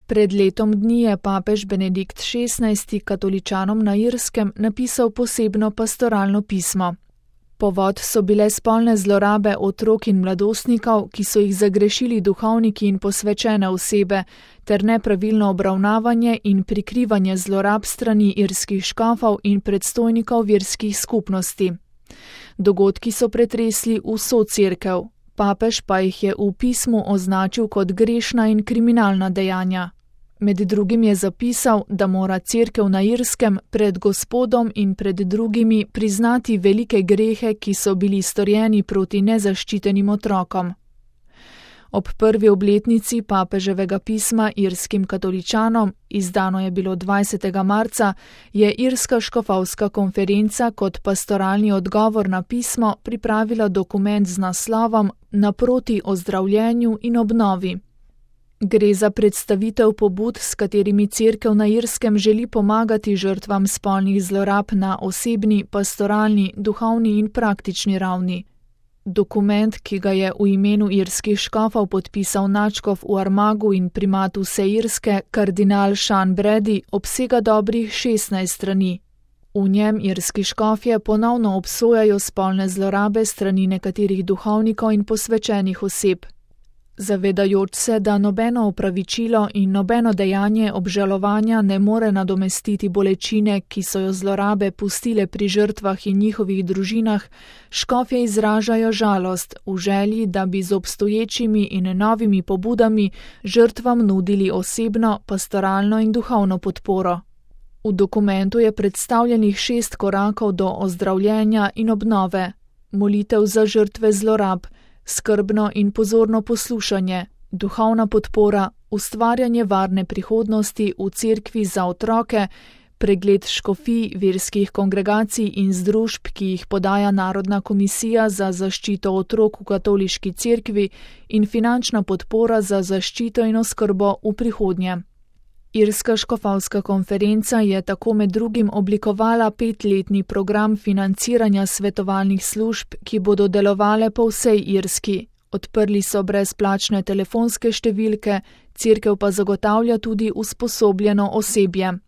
Pred letom dni je papež Benedikt XVI. Katoličanom na Irskem napisal posebno pastoralno pismo. Povod so bile spolne zlorabe otrok in mladostnikov, ki so jih zagrešili duhovniki in posvečene osebe, ter nepravilno obravnavanje in prikrivanje zlorab strani irskih škofov in predstojnikov verskih skupnosti. Dogodki so pretresli vso cerkev, papež pa jih je v pismu označil kot grešna in kriminalna dejanja. Med drugim je zapisal, da mora cerkev na Irskem pred Gospodom in pred drugimi priznati velike grehe, ki so bili storjeni proti nezaščitenim otrokom. Ob prvi obletnici papeževega pisma irskim katoličanom, izdano je bilo 20. marca, je Irska škofovska konferenca kot pastoralni odgovor na pismo pripravila dokument z naslovom Naproti ozdravljenju in obnovi. Gre za predstavitev pobud, s katerimi cerkev na Irskem želi pomagati žrtvam spolnih zlorab na osebni, pastoralni, duhovni in praktični ravni. Dokument, ki ga je v imenu irskih škofov podpisal nadškof v Armagu in primat vse Irske, kardinal Sean Brady, obsega dobrih 16 strani. V njem irski škofje ponovno obsojajo spolne zlorabe strani nekaterih duhovnikov in posvečenih oseb. Zavedajoč se, da nobeno opravičilo in nobeno dejanje obžalovanja ne more nadomestiti bolečine, ki so jo zlorabe pustile pri žrtvah in njihovih družinah, škofje izražajo žalost v želji, da bi z obstoječimi in novimi pobudami žrtvam nudili osebno, pastoralno in duhovno podporo. V dokumentu je predstavljenih 6 korakov do ozdravljenja in obnove: molitev za žrtve zlorab, skrbno in pozorno poslušanje, duhovna podpora, ustvarjanje varne prihodnosti v cerkvi za otroke, pregled škofij, verskih kongregacij in združb, ki jih podaja Narodna komisija za zaščito otrok v katoliški cerkvi, in finančna podpora za zaščito in oskrbo v prihodnje. Irska škofovska konferenca je tako med drugim oblikovala 5-letni program financiranja svetovalnih služb, ki bodo delovale po vsej Irski. Odprli so brezplačne telefonske številke, cerkev pa zagotavlja tudi usposobljeno osebje.